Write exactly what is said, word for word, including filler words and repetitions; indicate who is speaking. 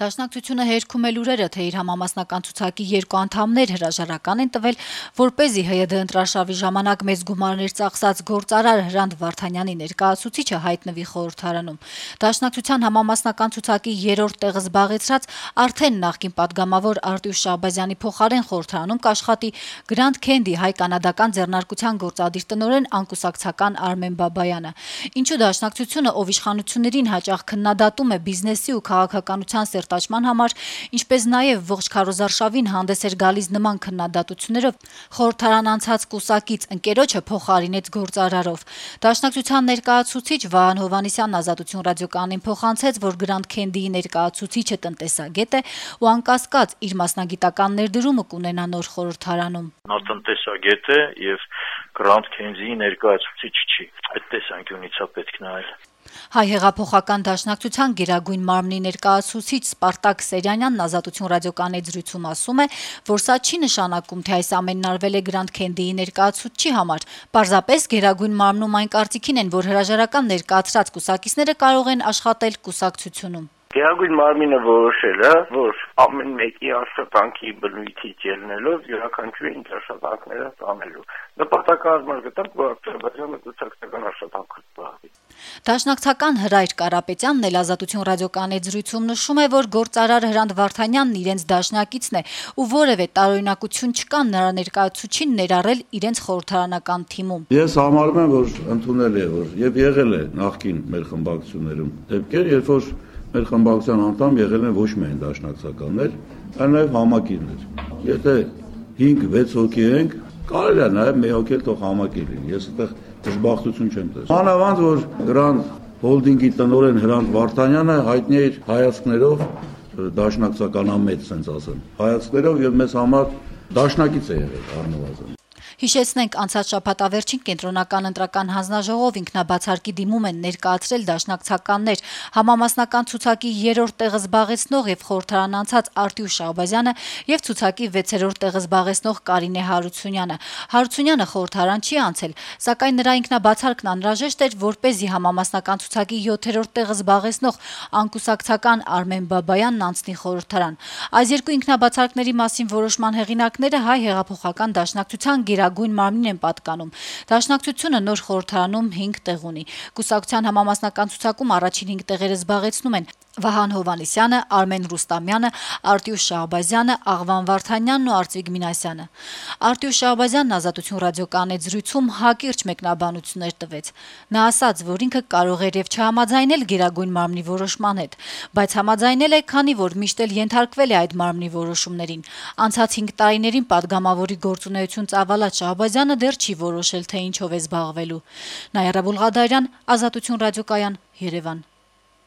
Speaker 1: Դաշնակցությունը հերքում է լուրերը, թե իր համամասնական ցուցակի երկու անդամներ հրաժարական են տվել, որպեսզի ՀՅԴ ընտրարշավի ժամանակ մեծ գումարներ ծախսած գործարար Հրանտ Վարդանյանի ներկայացուցիչը հայտնվի խորհրդարանում։ Դաշնակցության համամասնական ցուցակի երրորդ տեղը զբաղեցրած արդեն նախկին падգամավոր Արտուշ Շահբազյանի փոխարեն խորհրդարանում կաշխատի Grand Candy հայ-կանադական ձեռնարկության գործադիր տնօրեն անկուսակցական Արմեն Բաբայանը։ Ինչու դաշնակցությունը, ով իշխանություններին հաճախ քննադատում է բիզնեսի ու քաղաքականության սերտաճման համար, ինչպես նաև ողջ քարոզարշավին հանդես էր գալիս նման քննադատություններով, խորհրդարան անցած կուսակից ընկերոջը փոխարինեց գործարարով։ Դաշնակցության ներկայացուցիչ Վահան Հովհաննիսյանն Ազատություն ռադիոկայանին փոխանցեց, որ Grand Candy-ի ներկայացուցիչը տնտեսագետ է ու անկասկած իր մասնագիտական ներդրումը կունենա նոր խորհրդարանում։
Speaker 2: Նա տնտեսագետ է եւ Grand Candy-ի ներկայացուցիչ չի։ Այդ տեսանկյունից է պետք նայել։
Speaker 1: Հայ հեղափոխական դաշնակցության գերագույն մարմնի ներկայացուցիչ Սպարտակ Սերյանյանն Ազատություն ռադիոկայանի զրույցում ասում է, որ սա չի նշանակում, թե այս ամենն արվել է Grand Candy-ի ներկայացուցչի համար։ Պարզապես գերագույն մարմնում այն կարծիքին են, որ հրաժարական ներկայացրած կուսակիցները կարող են աշխատել կուսակցությունում։
Speaker 3: Գերագույն մարմինը որոշել է, որ ամեն մեկի աշխատանքի բնույթից ելնելով յուրաքանչյուրի աշխատանքները տանելու։ Նպատակահարմար գտանք, որ Ադրբեջանը կուսակցական աշխատանքով զբաղվի։
Speaker 1: Դաշնակցական Հրայր Կարապետյանն էլ Ազատություն ռադիոկայանի զրույցում նշում է, որ գործարար Հրանտ Վարդանյանն իրենց դաշնակիցն է ու որևէ տարօրինակություն չկա նրա ներկայացուցչին ներառել իրենց խորհրդարանական թիմում։
Speaker 4: Ես համարում եմ, որ ընդունել է, որ եւ եղել է նախկին մեր խմբակցություններում դեպքեր, երբ որ մեր խմբակցության անդամ եղել են ոչ միայն դաշնակցականներ, այլ նաև համակիրներ։ Եթե հինգ վեց հոգի ենք, կարելի է նաև մի հոգի թող համակիր լինի։ Ես այդտեղ դժբախտություն չեմ տեսնում։ Մանավանդ որ Grand Holding-ի տնօրեն Հրանտ Վարդանյանը հայտնի է հայացքներով դաշնակցականամետ, ասենց ասեմ։ Հայացքներով եւ մեզ համար դաշնակից է եղել առնվազն։
Speaker 1: Հիշեցնենք, անցած շաբաթավերջին կենտրոնական ընտրական հանձնաժողով ինքնաբացարկի դիմում են ներկայացրել դաշնակցականներ համամասնական ցուցակի երրորդ տեղը զբաղեցնող եւ խորհրդարան անցած Արտուշ Շահբազյանը եւ ցուցակի վեցերորդ տեղը զբաղեցնող Կարինե Հարությունյանը։ Հարությունյանը խորհրդարան չի անցել, սակայն նրա ինքնաբացարկն անհրաժեշտ էր, որպեսզի համամասնական ցուցակի յոթերորդ տեղը զբաղեցնող անկուսակցական Արմեն Բաբայանն անցնի խորհրդարան։ Այս երկու ինքնաբացարկների մասին որոշման հեղինակները Հայ հեղափոխական դաշնակցության գերագույն մարմնին են պատկանում։ Դաշնակցությունը նոր խորհրդարանում հինգ տեղ ունի։ Կուսակցության համամասնական ցուցակում առաջին հինգ տեղերը զբաղեցնում են Վահան Հովհաննիսյանը, Արմեն Ռուստամյանը, Արտուշ Շահբազյանը, Աղվան Վարդանյանն ու Արծվիկ Մինասյանը։ Արտուշ Շահբազյանն Ազատություն ռադիոկայանի զրույցում հակիրճ մեկնաբանություններ տվեց։ Նա ասաց, որ ինքը կարող էր եւ չհամաձայնել գերագույն մարմնի որոշման հետ, բայց համաձայնել է, քանի որ միշտ էլ ենթարկվել է այդ մարմնի որոշումներին։ Անցած հինգ տարիներին падգամավորի գործունեություն ծավալած Շահբազյանը դեռ չի որոշել, թե ինչով է զբաղվելու։ Նաիրա Բուլղադարյան, Ազատություն ռադիոկայան, Երևան։